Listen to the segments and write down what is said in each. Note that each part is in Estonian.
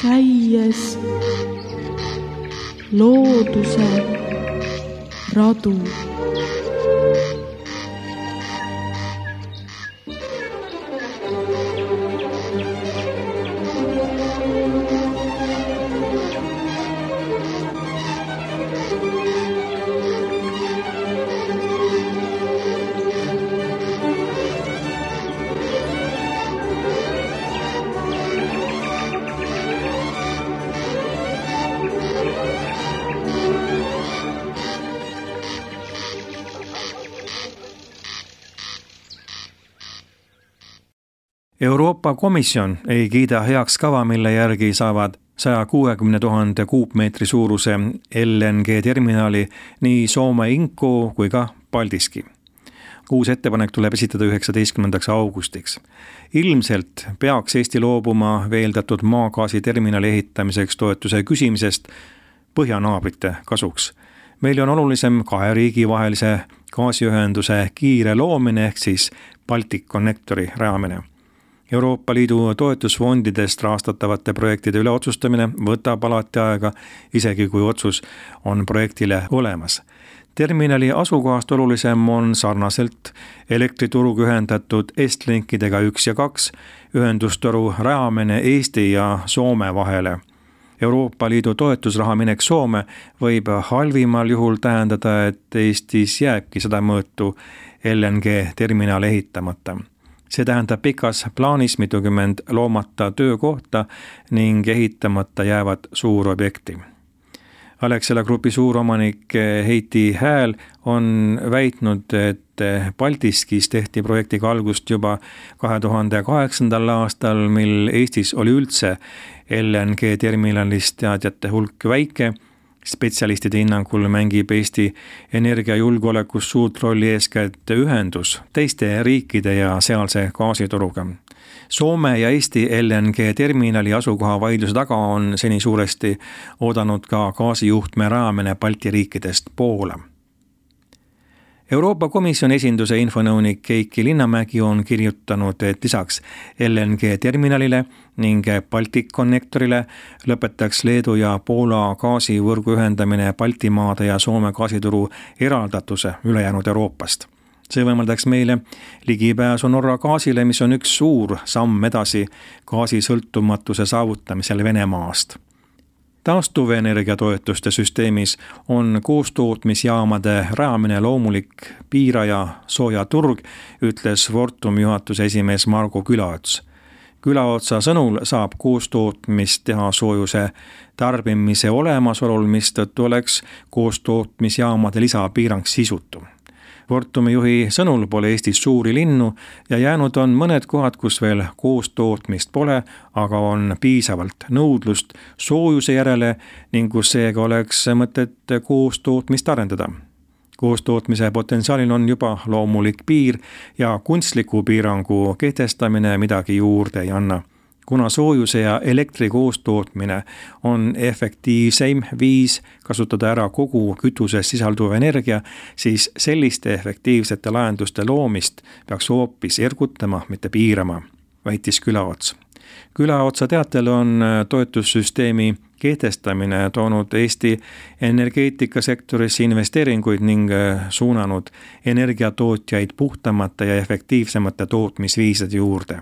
käies looduse radu. Euroopa Komisjon ei kiida heaks kava, mille järgi saavad 160 000 kuupmeetri suuruse LNG-terminali nii Soome Inkoo kui ka Paldiski. Uus ettepanek tuleb esitada 19. augustiks. Ilmselt peaks Eesti loobuma veeldatud maagaasiterminali ehitamiseks toetuse küsimisest põhjanaabrite kasuks. Meil on olulisem kahe riigi vahelise gaasiühenduse kiire loomine ehk siis Balticconnectori rajamine. Euroopa Liidu toetusfondidest rahastatavate projektide üle otsustamine võtab alati aega, isegi kui otsus on projektile olemas. Terminali asukohast olulisem on sarnaselt elektrituruga ühendatud Estlinkidega 1 ja 2 ühendustoru rajamine Eesti ja Soome vahele. Euroopa Liidu toetusraha minek Soome võib halvimal juhul tähendada, et Eestis jääbki seda mõõtu LNG-terminal ehitamata. See tähendab pikas plaanis mitukümmend loomata töökohta ning ehitamata jäävad suurobjekti. Alexela Grupi suuromanik Heiti Hääl on väitnud, et Paldiskis tehti projektiga algust juba 2008. aastal, mil Eestis oli üldse LNG-terminalist teadjate hulk väike. Spetsialistide hinnangul mängib Eesti energiajulgeolekus suurt rolli eeskätt ühendus teiste riikide ja sealse gaasituruga. Soome ja Eesti LNG-terminali asukoha vaidluse taga on seni suuresti oodanud ka gaasijuhtme rajamine Balti riikidest Poola. Euroopa Komisjoni esinduse infonõunik Keiki Linnamägi on kirjutanud, et lisaks LNG-terminalile ning Balticconnectorile lõpetaks Leedu ja Poola gaasivõrgu ühendamine Baltimaade ja Soome gaasituru eraldatuse ülejäänud Euroopast. See võimaldaks meile ligipääsu Norra gaasile, mis on üks suur samm edasi gaasisõltumatuse saavutamisel Venemaast. Taastuvenergia toetuste süsteemis on koostootmisjaamade rajamine loomulik piiraja sooja turg, ütles Fortum juhatuse esimees Margo Külaots. Külaotsa sõnul saab koostootmist teha soojuse tarbimise olemasolul, mistõttu oleks koostootmisjaamade lisapiirang sisutu. Fortumi juhi sõnul pole Eestis suuri linnu ja jäänud on mõned kohad, kus veel koostootmist pole, aga on piisavalt nõudlust soojuse järele ning kus seega oleks mõtet koostootmist arendada. Koostootmise potentsiaalil on juba loomulik piir ja kunstliku piirangu kehtestamine midagi juurde ei anna. Kuna soojuse ja elektri koostootmine on efektiivseim viis kasutada ära kogu kütuses sisalduv energia, siis selliste efektiivsete lahenduste loomist peaks hoopis ergutama, mitte piirama, väitis Külaots. Külaotsa teatel on toetussüsteemi kehtestamine toonud Eesti energeetikasektorisse investeeringuid ning suunanud energiatootjaid puhtamate ja efektiivsemate tootmisviisade juurde.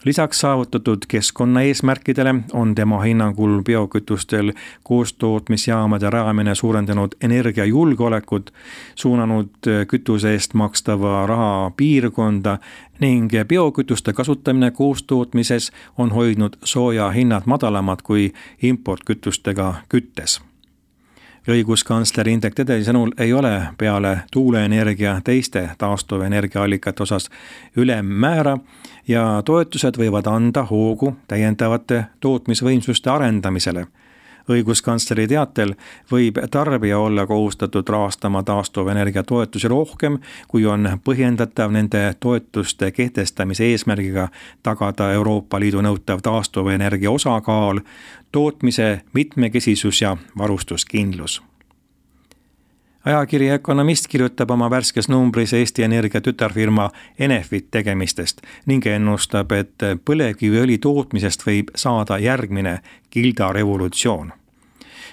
Lisaks saavutatud keskkonnaeesmärkidele on tema hinnangul biokütustel koostootmisjaamade rajamine suurendanud energiajulgeolekut, suunanud kütuse eest makstava raha piirkonda ning biokütuste kasutamine koostootmises on hoidnud sooja hinnad madalamad kui importkütustega küttes. Õiguskantsler Indrek Tederi sõnul ei ole peale tuuleenergia teiste taastuvenergiaallikate osas ülemmäära ja toetused võivad anda hoogu täiendavate tootmisvõimsuste arendamisele. Õiguskantsleri teatel võib tarbija olla kohustatud rahastama taastuvenergia toetusi rohkem, kui on põhjendatav nende toetuste kehtestamise eesmärgiga tagada Euroopa Liidu nõutav taastuvenergia osakaal, tootmise mitmekesisus ja varustuskindlus. Ajakiri Ökonomist kirjutab oma värskes numbris Eesti Energia tütarfirma Enefit tegemistest ning ennustab, et põlevkiviõli tootmisest võib saada järgmine kildarevolutsioon.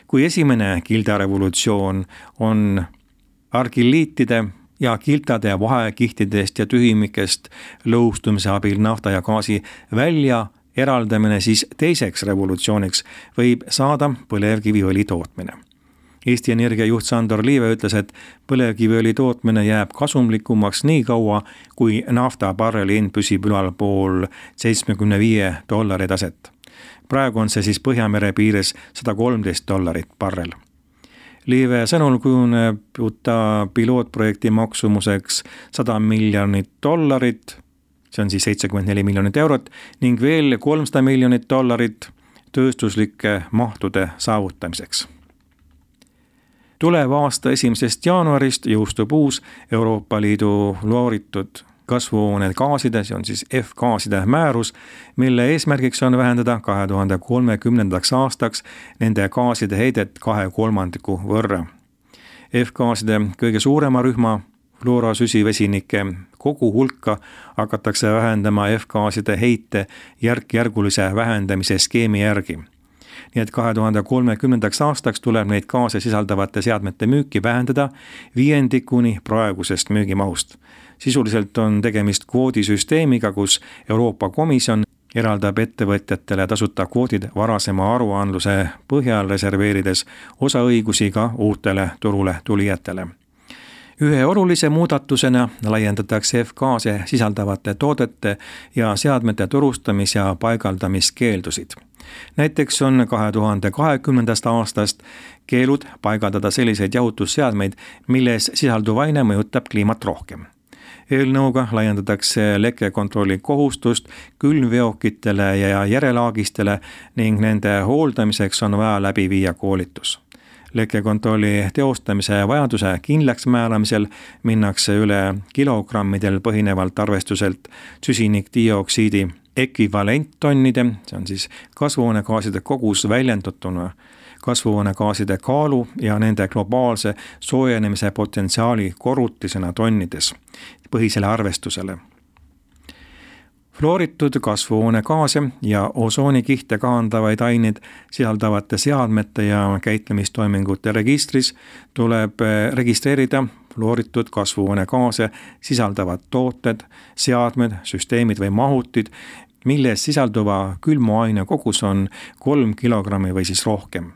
Kui esimene kildarevolutsioon on argilliitide ja kiltade vahekihtidest ja tühimikest lõhustumise abil nafta ja gaasi välja eraldamine, siis teiseks revolutsiooniks võib saada põlevkiviõli tootmine. Eesti Energia juht Sandor Liive ütles, et põlevkiviõli tootmine jääb kasumlikumaks nii kaua, kui nafta barreli hind püsib ülalpool $75 taset. Praegu on see siis Põhjamere piires $113 barrel. Liive sõnul kujuneb uta pilootprojekti maksumuseks $100 miljonit, see on siis 74 miljonit eurot, ning veel $300 miljonit tööstuslike mahtude saavutamiseks. Tuleva aasta 1. jaanuarist jõustub uus Euroopa Liidu fluoritud kasvuhoonegaaside, see on siis F-gaaside määrus, mille eesmärgiks on vähendada 2030. aastaks nende gaaside heidet 2/3 võrra. F-gaaside kõige suurema rühma fluorosüsivesinike kogu hulka hakatakse vähendama F-gaaside heite järkjärgulise vähendamise skeemi järgi. Nii et 2030. aastaks tuleb neid gaase sisaldavate seadmete müüki vähendada 1/5 praegusest müügimahust. Sisuliselt on tegemist kvoodisüsteemiga, kus Euroopa Komisjon eraldab ettevõtjatele tasuta kvoodid varasema aruandluse põhjal, reserveerides osaõigusi ka uutele turule tulijatele. Ühe olulise muudatusena laiendatakse F-gaase sisaldavate toodete ja seadmete turustamis- ja paigaldamiskeeldusid. Näiteks on 2020. aastast keelud paigaldada selliseid jahutusseadmeid, milles sisalduv aine mõjutab kliimat rohkem. Eelnõuga laiendatakse lekkekontrolli kohustust külmveokitele ja järelaagistele ning nende hooldamiseks on vaja läbi viia koolitus. Lekkekontrolli teostamise vajaduse kindlaks määramisel minnakse üle kilogrammidel põhinevalt arvestuselt süsinikdioksiidi ekvivalenttonnide, see on siis kasvuhoonegaaside kogus väljendatuna kasvuhoonegaaside kaalu ja nende globaalse soojenemise potentsiaali korrutisena tonnides põhisele arvestusele. Fluoritud kasvuhoonegaase ja osoonikihte kahandavaid aineid sisaldavate seadmete ja käitlemistoimingute registris tuleb registreerida fluoritud kasvuhoonegaase sisaldavad tooted, seadmed, süsteemid või mahutid, milles sisalduva külmuaine kogus on 3 kilogrammi või siis rohkem.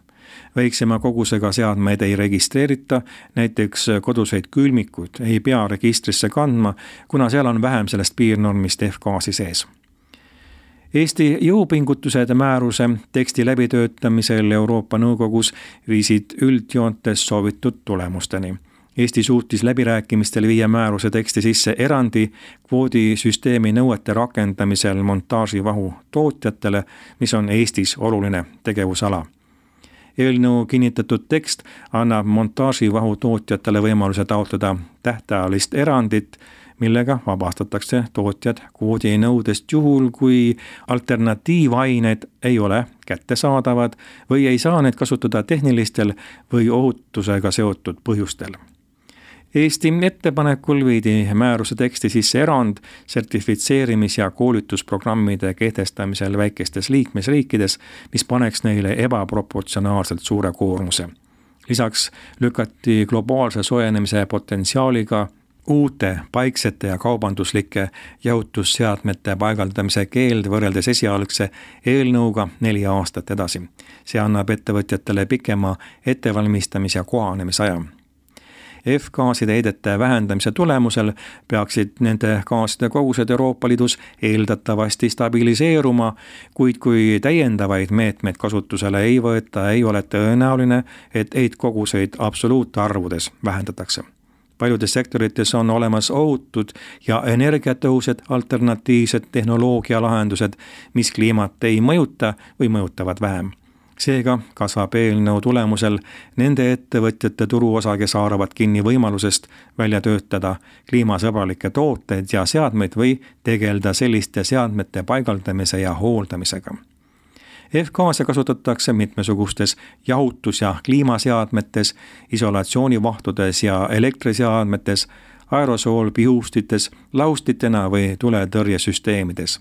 Väiksema kogusega seadmeid ei registreerita, näiteks koduseid külmikuid ei pea registrisse kandma, kuna seal on vähem sellest piirnormist F-gaasi sees. Eesti jõupingutused määruse teksti läbitöötamisel Euroopa Nõukogus viisid üldjoontes soovitud tulemusteni. Eesti suutis läbirääkimistel viia määruse teksti sisse erandi kvoodisüsteemi nõuete rakendamisel montaaživahu tootjatele, mis on Eestis oluline tegevusala. Eelnõu kinnitatud tekst annab montaaživahu tootjatele võimaluse taotleda tähtajalist erandit, millega vabastatakse tootjad kvoodinõudest juhul, kui alternatiivained ei ole kättesaadavad või ei saa need kasutada tehnilistel või ohutusega seotud põhjustel. Eesti ettepanekul viidi määruse teksti sisse erand sertifitseerimis- ja koolitusprogrammide kehtestamisel väikestes liikmesriikides, mis paneks neile ebaproportsionaalselt suure koormuse. Lisaks lükati globaalse soojenemise potentsiaaliga uute paiksete ja kaubanduslike jahutusseadmete paigaldamise keeld võrreldes esialgse eelnõuga 4 aastat edasi. See annab ettevõtjatele pikema ettevalmistamis- ja kohanemisaja. F-gaaside heidete vähendamise tulemusel peaksid nende gaaside kogused Euroopa Liidus eeldatavasti stabiliseeruma, kuid kui täiendavaid meetmeid kasutusele ei võeta, ei ole tõenäoline, et heitkoguseid absoluutarvudes vähendatakse. Paljudes sektorites on olemas ohutud ja energiatõhusad alternatiivsed tehnoloogialahendused, mis kliimat ei mõjuta või mõjutavad vähem. Seega kasvab eelnõu tulemusel nende ettevõtjate turuosa, kes haaravad kinni võimalusest välja töötada kliimasõbralikke tooteid ja seadmeid või tegeleda selliste seadmete paigaldamise ja hooldamisega. F-gaase kasutatakse mitmesugustes jahutus- ja kliimaseadmetes, isolatsioonivahtudes ja elektriseadmetes, aerosoolpihustites, laustitena või tuletõrjesüsteemides.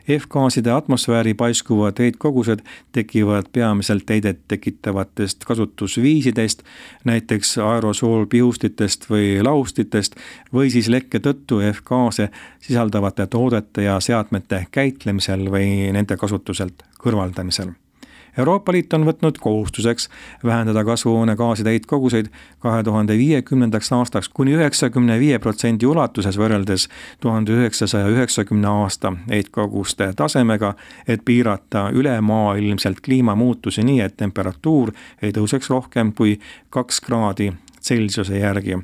F-gaaside atmosfääri paiskuvad heitkogused tekivad peamiselt heidet tekitavatest kasutusviisidest, näiteks aerosoolpihustitest või laustitest või siis lekke tõttu F-gaase sisaldavate toodete ja seadmete käitlemisel või nende kasutuselt kõrvaldamisel. Euroopa Liit on võtnud kohustuseks vähendada kasvuhoonegaaside heitkoguseid 2050. aastaks kuni 95% ulatuses võrreldes 1990. aasta heitkoguste tasemega, et piirata ülemaailmselt kliimamuutusi nii, et temperatuur ei tõuseks rohkem kui 2 kraadi Celsiuse järgi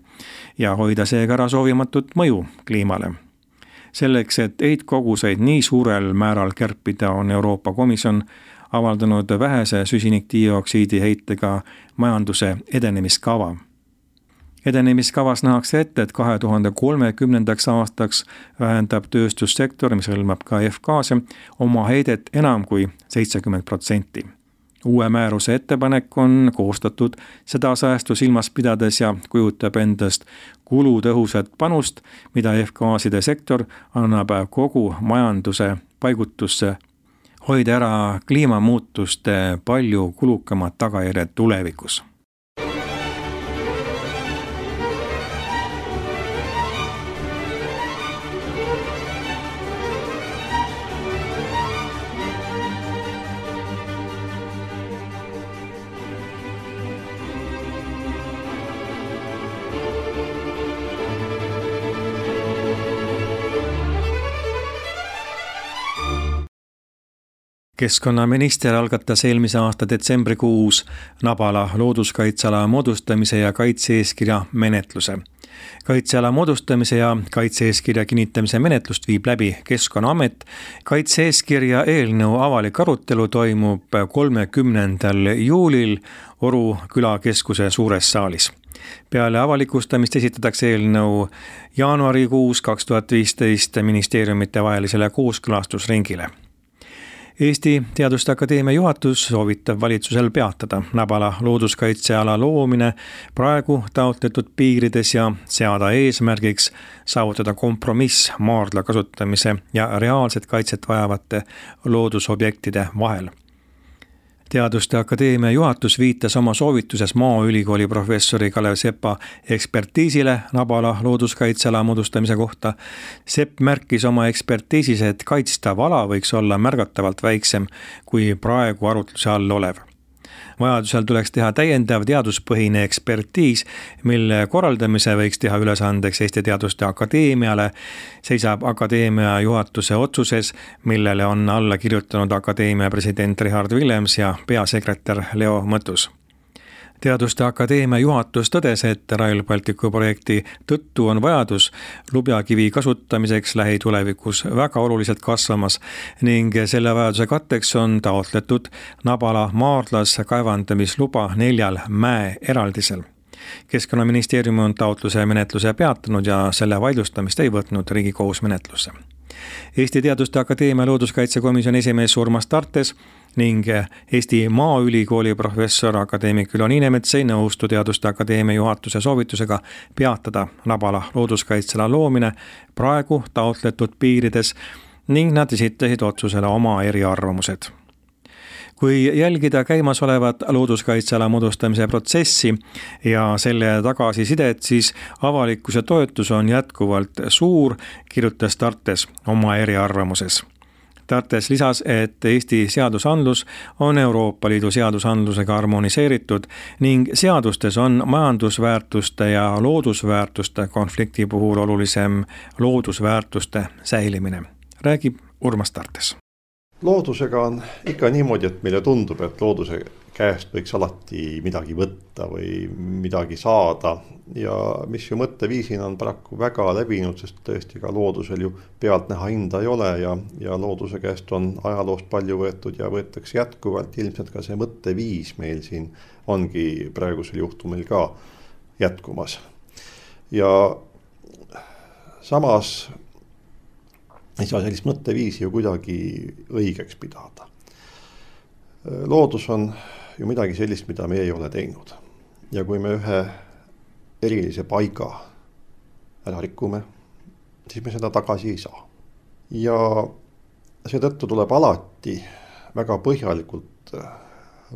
ja hoida seega ära soovimatut mõju kliimale. Selleks, et heitkoguseid nii suurel määral kärpida, on Euroopa Komisjon avaldanud vähese süsinikdioksiidi heitega majanduse edenemiskava. Edenemiskavas nähakse ette, et 2030. aastaks vähendab tööstussektor, mis hõlmab ka F-gaase, oma heidet enam kui 70%. Uue määruse ettepanek on koostatud seda säästu silmas pidades ja kujutab endast kulutõhusat panust, mida F-gaaside sektor annab kogu majanduse paigutusse, hoida ära kliimamuutuste palju kulukamad tagajärjed tulevikus. Keskkonnaminister algatas eelmise aasta detsembrikuus Nabala looduskaitseala moodustamise ja kaitse-eeskirja menetluse. Kaitseala moodustamise ja kaitse-eeskirja kinnitamise menetlust viib läbi Keskkonnaamet. Kaitse-eeskirja eelnõu avalik arutelu toimub 30. juulil Oru külakeskuse suures saalis. Peale avalikustamist esitatakse eelnõu jaanuarikuus 2015 ministeeriumite vahelisele kooskõlastusringile. Eesti Teaduste Akadeemia juhatus soovitab valitsusel peatada Nabala looduskaitseala loomine praegu taotletud piirides ja seada eesmärgiks saavutada kompromiss maardla kasutamise ja reaalset kaitset vajavate loodusobjektide vahel. Teaduste Akadeemia juhatus viitas oma soovituses Maaülikooli professori Kalev Sepa ekspertiisile Nabala looduskaitseala moodustamise kohta. Sepp märkis oma ekspertiisis, et kaitstav ala võiks olla märgatavalt väiksem kui praegu arutluse all olev. Vajadusel tuleks teha täiendav teaduspõhine ekspertiis, mille korraldamise võiks teha ülesandeks Eesti Teaduste Akadeemiale, seisab Akadeemia juhatuse otsuses, millele on alla kirjutanud Akadeemia president Richard Willems ja peasekretär Leo Mõttus. Teaduste Akadeemia juhatus tõdes, et Rail Balticu projekti tõttu on vajadus lubjakivi kasutamiseks lähitulevikus väga oluliselt kasvamas ning selle vajaduse katteks on taotletud Nabala maardlas kaevandamisluba 4 mäeeraldisel. Keskkonnaministeerium on taotluse menetluse peatanud ja selle vaidlustamist ei võtnud Riigikohus menetlusse. Eesti Teaduste Akadeemia looduskaitsekomisjoni esimees Urmas Tartes ning Eesti Maaülikooli professor akadeemik Ülo Niinemets ei nõustu Teaduste Akadeemia juhatuse soovitusega peatada Nabala looduskaitseala loomine praegu taotletud piirides ning nad esitasid otsusele oma eriarvamused. Kui jälgida käimasolevat looduskaitseala moodustamise protsessi ja selle tagasisidet, siis avalikkuse toetus on jätkuvalt suur, kirjutas Tartes oma eriarvamuses. Tartes lisas, et Eesti seadusandlus on Euroopa Liidu seadusandlusega harmoniseeritud ning seadustes on majandusväärtuste ja loodusväärtuste konflikti puhul olulisem loodusväärtuste säilimine. Räägib Urmas Tartes. Loodusega on ikka niimoodi, et meile tundub, et looduse käest võiks alati midagi võtta või midagi saada ja mis ju mõtteviisina on paraku väga levinud, sest tõesti ka loodusel ju pealtnäha hinda ei ole ja looduse käest on ajaloost palju võetud ja võetakse jätkuvalt. Ilmselt ka see mõtteviis meil siin ongi praegusel juhtumil ka jätkumas. Ja samas ei saa sellist mõtteviisi ju kuidagi õigeks pidada. Loodus on ju midagi sellist, mida me ei ole teinud. Ja kui me ühe erilise paiga ära rikume, siis me seda tagasi ei saa. Ja seetõttu tuleb alati väga põhjalikult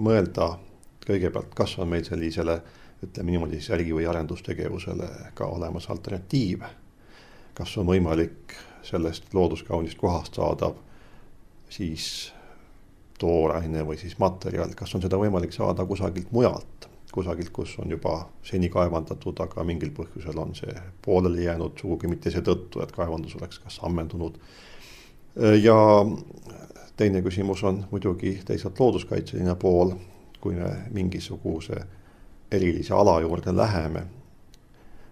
mõelda kõigepealt, kas on meil sellisele, ütleme niimoodi, äri- või arendustegevusele ka olemas alternatiive. Kas on võimalik sellest looduskaunist kohast saadav siis tooraine või siis materjal, kas on seda võimalik saada kusagilt mujalt, kusagilt, kus on juba seni kaevandatud, aga mingil põhjusel on see pooleli jäänud, sugugi mitte seetõttu, et kaevandus oleks kas ammendunud. Ja teine küsimus on muidugi teisalt looduskaitseline pool, kui me mingisuguse erilise ala juurde läheme,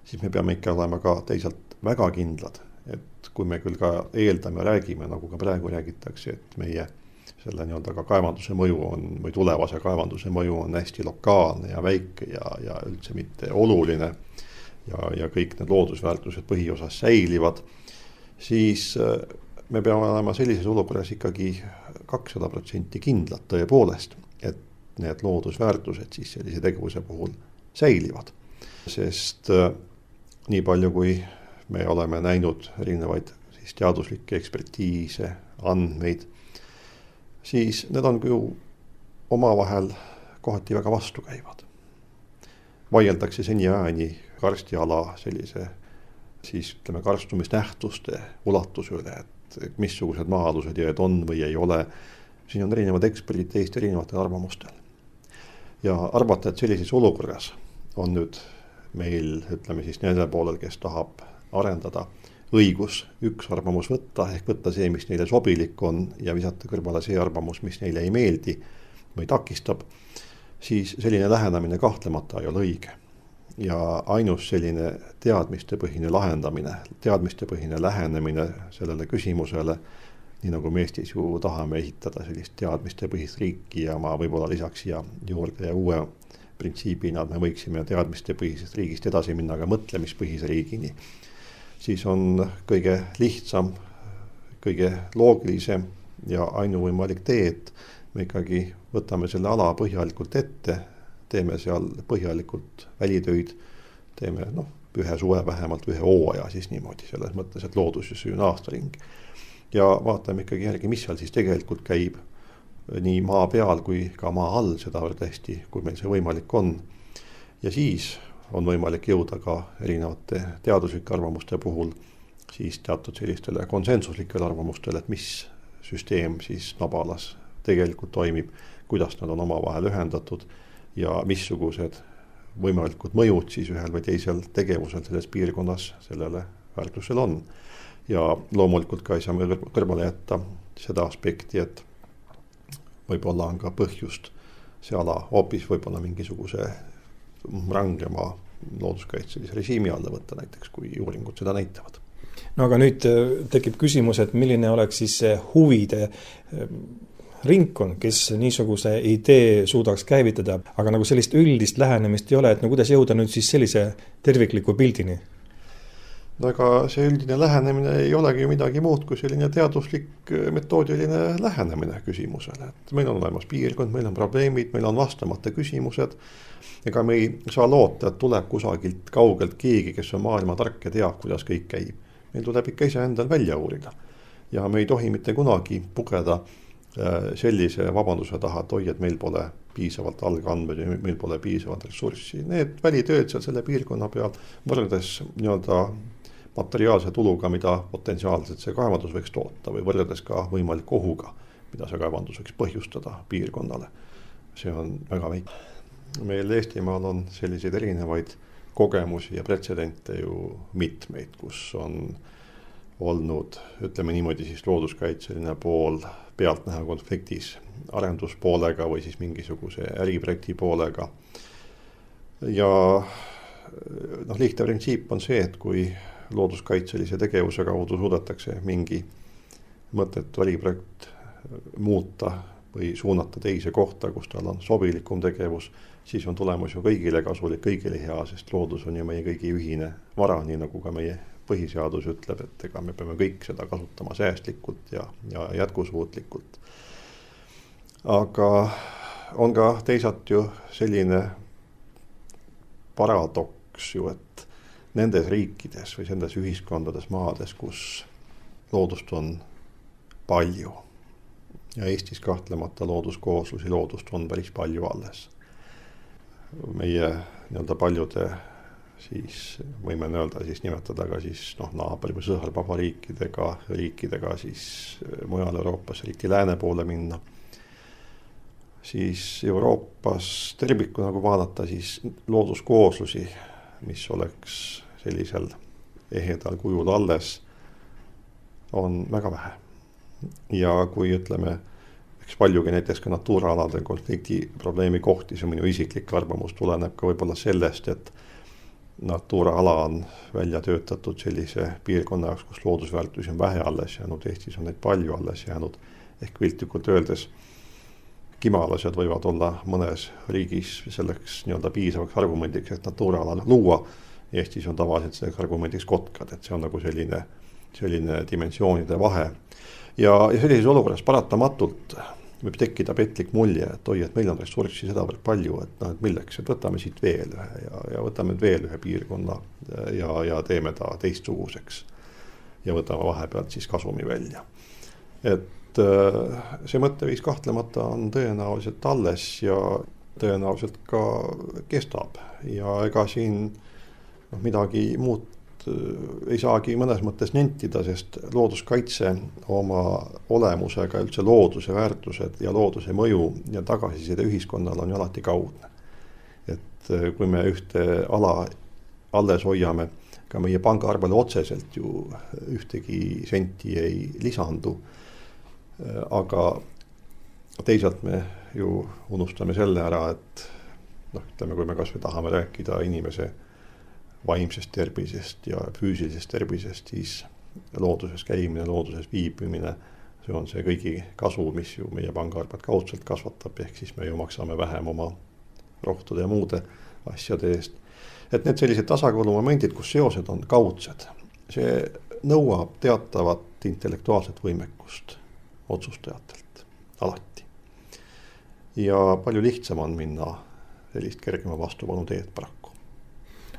siis me peame ikka olema ka teisalt väga kindlad, et kui me küll ka eeldame, räägime, nagu ka praegu räägitakse, et meie selle nii-öelda ka kaevanduse mõju on, või tulevase kaevanduse mõju on hästi lokaalne ja väike ja üldse mitte oluline ja kõik need loodusväärtused põhiosas säilivad, siis me peame olema sellises olukorras ikkagi 200% kindlad tõepoolest, et need loodusväärtused siis sellise tegevuse puhul säilivad. Sest nii palju, kui me oleme näinud erinevaid siis teaduslikke ekspertiise, andmeid, siis need on ju omavahel kohati väga vastukäivad. Vaieldakse seniajani karstiala sellise siis ütleme karstumisnähtuste ulatuse üle, et missugused maa-alused jõed on või ei ole. Siin on erinevad eksperdid teist erinevatel arvamustel. Ja arvata, et sellises olukorras on nüüd meil, ütleme siis nende poolel, kes tahab arendada õigus üks arvamus võtta, ehk võtta see, mis neile sobilik on ja visata kõrvale see arvamus, mis neile ei meeldi või takistab, siis selline lähenemine kahtlemata ei ole õige. Ja ainus selline teadmistepõhine lahendamine, teadmistepõhine lähenemine sellele küsimusele, nii nagu me Eestis ju tahame ehitada sellist teadmistepõhist riiki ja ma võib-olla lisaks siia juurde ja uue printsiibina, et me võiksime teadmistepõhisest riigist edasi minna ka mõtlemispõhise riigini, siis on kõige lihtsam, kõige loogilisem ja ainuvõimalik tee, et me ikkagi võtame selle ala põhjalikult ette, teeme seal põhjalikult välitöid, teeme ühe suve vähemalt ühe hooaja siis niimoodi, selles mõttes, et loodus on aastaring. Ja vaatame ikkagi järgi, mis seal siis tegelikult käib nii maa peal kui ka maa all, seda hästi, kui meil see võimalik on. Ja siis on võimalik jõuda ka erinevate teaduslike arvamuste puhul siis teatud sellistele konsensuslikele arvamustele, et mis süsteem siis nabalas tegelikult toimib, kuidas nad on omavahel ühendatud ja missugused võimalikud mõjud siis ühel või teisel tegevusel selles piirkonnas sellele väärtusel on. Ja loomulikult ka ei saa me kõrvale jätta seda aspekti, et võib-olla on ka põhjust see ala hoopis võib-olla mingisuguse rangema looduskaitselise režiimi alla võtta näiteks, kui uuringud seda näitavad. No aga nüüd tekib küsimus, et milline oleks siis see huvide ringkond, kes niisuguse idee suudaks käivitada, aga nagu sellist üldist lähenemist ei ole, et no kuidas jõuda nüüd siis sellise tervikliku pildini? No aga see üldine lähenemine ei olegi midagi muud kui selline teaduslik metoodiline lähenemine küsimusele. Et meil on olemas piirkond, meil on probleemid, meil on vastamata küsimused. Ega me ei saa loota, et tuleb kusagilt kaugelt keegi, kes on maailma tark ja teab, kuidas kõik käib. Meil tuleb ikka ise endal välja uurida. Ja me ei tohi mitte kunagi pugeda sellise vabanduse taha, et oi, et meil pole piisavalt algandmeid ja meil pole piisavalt ressurssi. Need välitööd seal selle piirkonna peal võrreldes nii-öelda materiaalse tuluga, mida potentsiaalselt see kaevandus võiks toota või võrreldes ka võimaliku ohuga, mida see kaevandus võiks põhjustada piirkonnale. See on väga väike. Meil Eestimaal on selliseid erinevaid kogemusi ja pretsedente ju mitmeid, kus on olnud, ütleme niimoodi siis looduskaitseline pool pealtnäha konfliktis arenduspoolega või siis mingisuguse äriprojekti poolega. Ja lihtne printsiip on see, et kui looduskaitselise tegevuse kaudu suudetakse mingi mõttetu äriprojekt muuta või suunata teise kohta, kus tal on sobilikum tegevus, siis on tulemus ju kõigile kasulik, kõigile hea, sest loodus on ju meie kõigi ühine vara, nii nagu ka meie põhiseadus ütleb, et ega me peame kõik seda kasutama säästlikult ja jätkusuutlikult. aga on ka teisalt ju selline paradoks ju, et nendes riikides või nendes ühiskondades, maades, kus loodust on palju ja Eestis kahtlemata looduskooslusi, loodust on päris palju alles. Meie nii-öelda paljude siis võime öelda, siis nimetada ka siis naabri või sõõrvaba riikidega siis mujal Euroopas, eriti lääne poole minna. Siis Euroopas tervikuna nagu vaadata siis looduskooslusi, mis oleks sellisel ehedal kujul alles, on väga vähe. Ja kui ütleme, eks paljugi näiteks ka natuuraaladel konflikti probleemi kohti, see minu isiklik arvamus tuleneb ka võib-olla sellest, et natuuraala on välja töötatud sellise piirkonna jaoks, kus loodusväärtusi on vähe alles jäänud, Eestis on neid palju alles jäänud, ehk piltlikult öeldes kimalased võivad olla mõnes riigis selleks nii-öelda piisavaks argumendiks, et natuuraala luua. Eestis on tavaliselt selleks argumendiks kotkad, et see on nagu selline dimensioonide vahe. Ja sellises olukorras paratamatult võib tekkida petlik mulje, et et meil on ressurssi sedavõrd palju, et milleks, et võtame siit veel ühe ja võtame veel ühe piirkonna ja teeme ta teistsuguseks ja võtame vahepealt siis kasumi välja. Et see mõtteviis kahtlemata on tõenäoliselt alles ja tõenäoliselt ka kestab ja ega siin midagi muud ei saagi mõnes mõttes nentida, sest looduskaitse oma olemusega üldse looduse väärtused ja looduse mõju ja tagasiside ühiskonnal on ju alati kaudne. Et kui me ühte ala alles hoiame, ka meie pangaarvele otseselt ju ühtegi senti ei lisandu, aga teisalt me ju unustame selle ära, et ütleme, kui me kas või tahame rääkida inimese vaimsest tervisest ja füüsilisest tervisest, siis looduses käimine, looduses viibimine, see on see kõigi kasu, mis ju meie pangaarvet kaudselt kasvatab, ehk siis me ju maksame vähem oma rohtude ja muude asjade eest. Et need sellised tasakaalumomendid, kus seosed on kaudsed, see nõuab teatavat intellektuaalset võimekust otsustajatelt alati. Ja palju lihtsam on minna sellist kergema vastupanu teed paraku.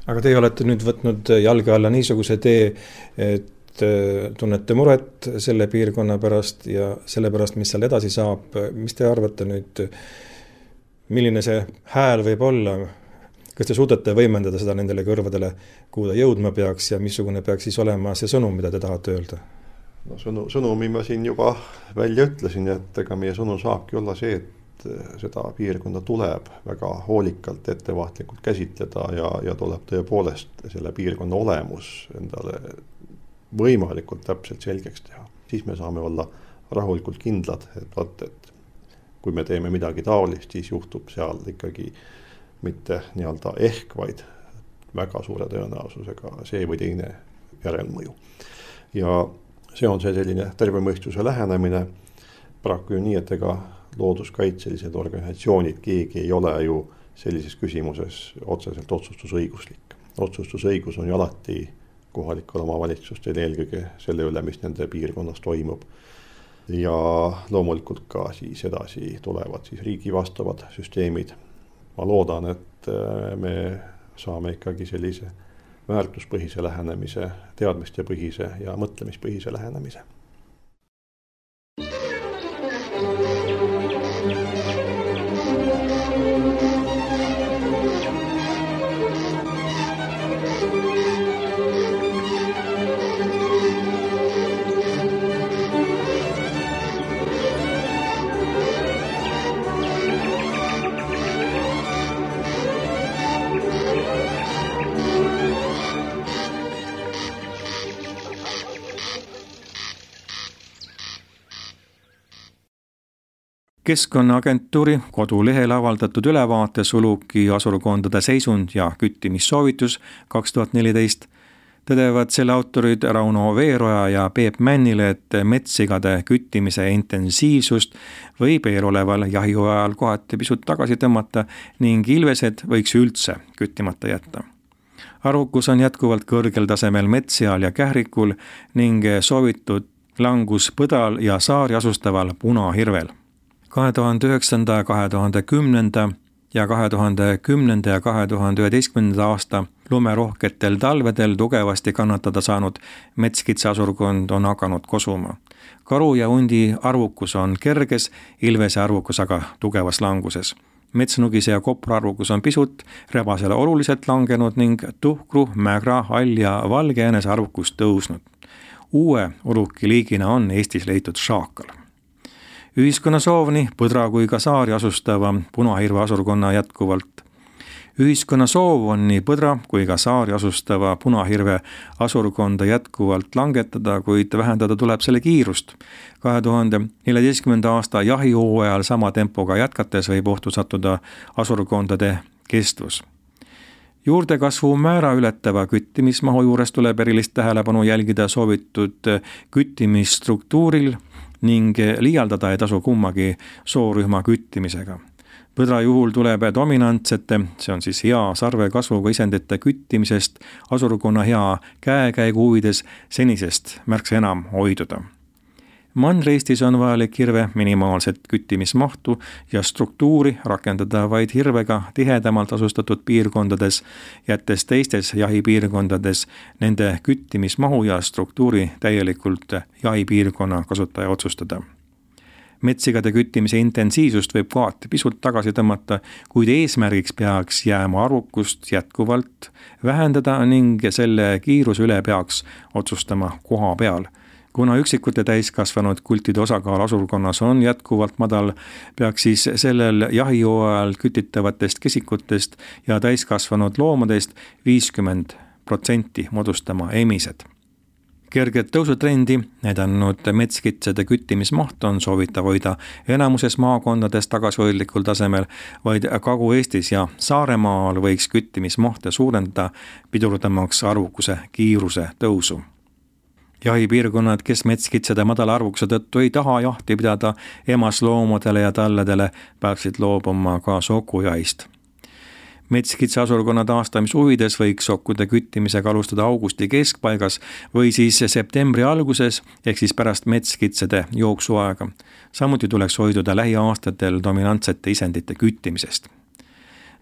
Aga teie olete nüüd võtnud jalge alla niisuguse tee, et tunnete muret selle piirkonna pärast ja selle pärast, mis seal edasi saab. Mis te arvate nüüd, milline see hääl võib olla? Kas te suudate võimendada seda nendele kõrvadele, kuhu ta jõudma peaks ja missugune peaks siis olema see sõnum, mida te tahate öelda? Sõnumi ma siin juba välja ütlesin, et ega meie sõnum saabki olla see, et seda piirkonda tuleb väga hoolikalt, ettevaatlikult käsitleda ja tuleb tõepoolest selle piirkonna olemus endale võimalikult täpselt selgeks teha. Siis me saame olla rahulikult kindlad, et kui me teeme midagi taolist, siis juhtub seal ikkagi mitte nii-öelda ehk, vaid väga suure tõenäosusega see või teine järelmõju. Ja see on see selline tervemõistuse lähenemine, paraku ju nii, et ega looduskaitselised organisatsioonid, keegi ei ole ju sellises küsimuses otseselt otsustusõiguslik. Otsustusõigus on ju alati kohalikel omavalitsustel eelkõige selle üle, mis nende piirkonnas toimub. Ja loomulikult ka siis edasi tulevad siis riigi vastavad süsteemid. Ma loodan, et me saame ikkagi sellise väärtuspõhise lähenemise, teadmistepõhise ja mõtlemispõhise lähenemise. Keskkonnaagentuuri kodulehel avaldatud ülevaate Uluki asurkondade seisund ja küttimissoovitus 2014 tõdevad selle autorid Rauno Veeroja ja Peep Männile, et metssigade küttimise intensiivsust võib eeloleval jahihooajal kohati pisut tagasi tõmmata ning ilvesed võiks üldse küttimata jätta. Arvukus on jätkuvalt kõrgel tasemel metsseal ja kährikul ning soovitud langus põdal ja saari asustaval punahirvel. 2009., 2010. ja 2010. ja 2011. aasta lumerohketel talvedel tugevasti kannatada saanud metskitseasurkond on hakanud kosuma. Karu ja hundi arvukus on kerges, ilvese arvukus aga tugevas languses. Metsnugise ja kopra arvukus on pisut, rebasele oluliselt langenud ning tuhkru, mägra, hall ja valge jäänese arvukus tõusnud. Uue ulukiliigina on Eestis leitud šaakal. Ühiskonna soov nii põdra kui ka saari asustava punahirve asurkonna jätkuvalt. Ühiskonna soov on nii põdra kui ka saari asustava punahirve asurkonda jätkuvalt langetada, kuid vähendada tuleb selle kiirust. 2014. aasta jahihooajal sama tempoga jätkates võib ohtu sattuda asurkondade kestvus. Juurdekasvu määra ületava küttimismahu juures tuleb erilist tähelepanu jälgida soovitud küttimisstruktuuril ning liialdada ei tasu kummagi soorühma küttimisega. Põdra juhul tuleb dominantsete, see on siis hea sarve kasvuga isendite küttimisest asurkonna hea käekäigu huvides senisest märksa enam hoiduda. Mandri-Eestis on vajalik hirve minimaalset küttimismahtu ja struktuuri rakendada vaid hirvega tihedamalt asustatud piirkondades, jättes teistes jahipiirkondades nende küttimismahu ja struktuuri täielikult jahipiirkonna kasutaja otsustada. Metsigade küttimise intensiivsust võib kohati pisut tagasi tõmmata, kuid eesmärgiks peaks jääma arvukust jätkuvalt vähendada ning selle kiiruse üle peaks otsustama koha peal. Kuna üksikute täiskasvanud kultide osakaal asurkonnas on jätkuvalt madal, peaks siis sellel jahihooajal kütitavatest kesikutest ja täiskasvanud loomadest 50% moodustama emised. Kerget tõusutrendi näidanud metskitsede küttimismaht on soovitav hoida enamuses maakondades tagasihoidlikul tasemel, vaid Kagu-Eestis ja Saaremaal võiks küttimismahte suurendada pidurdamaks arvukuse kiiruse tõusu. Jahipiirkonnad, kes metskitsede madala arvukuse tõttu ei taha jahti pidada emasloomadele ja talledele, peaksid loobuma ka sokujahist. Metskitse asurkonna taastamise huvides võiks sokkude küttimisega alustada augusti keskpaigas või siis septembri alguses ehk siis pärast metskitsede jooksuaega. Samuti tuleks hoiduda lähiaastatel dominantsete isendite küttimisest.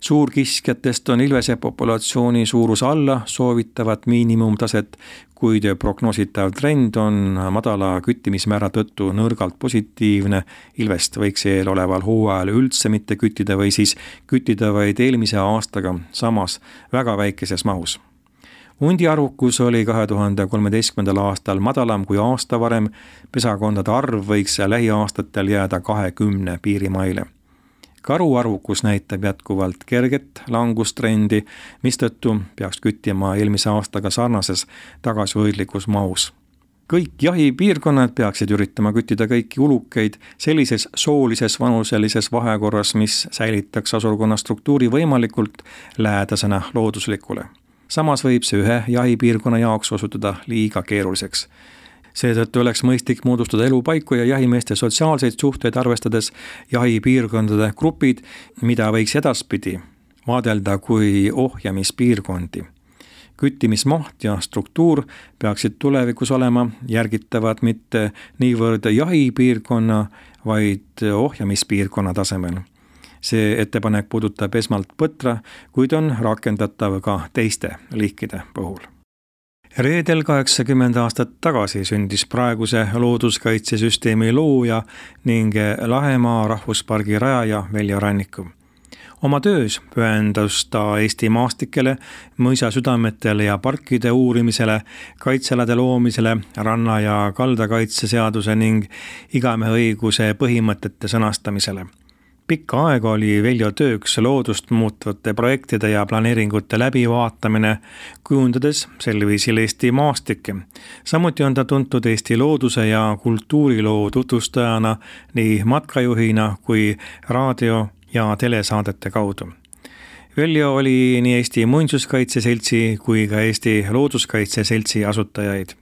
Suurkiskjatest on ilvese populatsiooni suurus alla soovitavat miinimumtaset, kuid prognoositav trend on madala küttimismäära tõttu nõrgalt positiivne. Ilvest võiks eeloleval hooajal üldse mitte küttida või siis küttida vaid eelmise aastaga samas väga väikeses mahus. Hundi arvukus oli 2013. aastal madalam kui aasta varem, pesakondade arv võiks lähiaastatel jääda 20 piirimaile. Karu arvukus näitab jätkuvalt kerget langustrendi, mistõttu peaks küttima eelmise aastaga sarnases tagasihoidlikus mahus. Kõik jahipiirkonnad peaksid üritama küttida kõiki ulukeid sellises soolises vanuselises vahekorras, mis säilitaks asurkonna struktuuri võimalikult lähedasena looduslikule. Samas võib see ühe jahipiirkonna jaoks osutuda liiga keeruliseks. Seetõttu oleks mõistlik moodustada elupaiku ja jahimeeste sotsiaalseid suhteid arvestades jahipiirkondade grupid, mida võiks edaspidi vaadelda kui ohjamispiirkondi. Küttimismaht ja struktuur peaksid tulevikus olema järgitavad mitte niivõrd jahipiirkonna, vaid ohjamispiirkonna tasemel. See ettepanek puudutab esmalt põtra, kuid on rakendatav ka teiste liikide puhul. Reedel 80 aastat tagasi sündis praeguse looduskaitsesüsteemi looja ning Lahemaa rahvuspargi rajaja Veljo Ranniku. Oma töös pühendus ta Eesti maastikele, mõisasüdametele ja parkide uurimisele, kaitsealade loomisele, ranna- ja kaldakaitseseaduse ning igameheõiguse põhimõtete sõnastamisele. Pikka aega oli Veljo tööks loodust muutvate projektide ja planeeringute läbivaatamine, kujundades sel viisil Eesti maastikke. Samuti on ta tuntud Eesti looduse ja kultuuriloo tutvustajana nii matkajuhina kui raadio- ja telesaadete kaudu. Veljo oli nii Eesti Muinsuskaitseseltsi kui ka Eesti Looduskaitseseltsi asutajaid.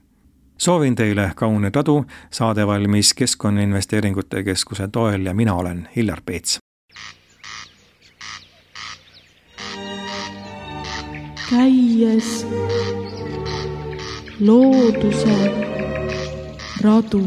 Soovin teile kaunet adu, saade valmis Keskkonnainvesteeringute Keskuse toel ja mina olen Hillar Peets. Käies looduse radu.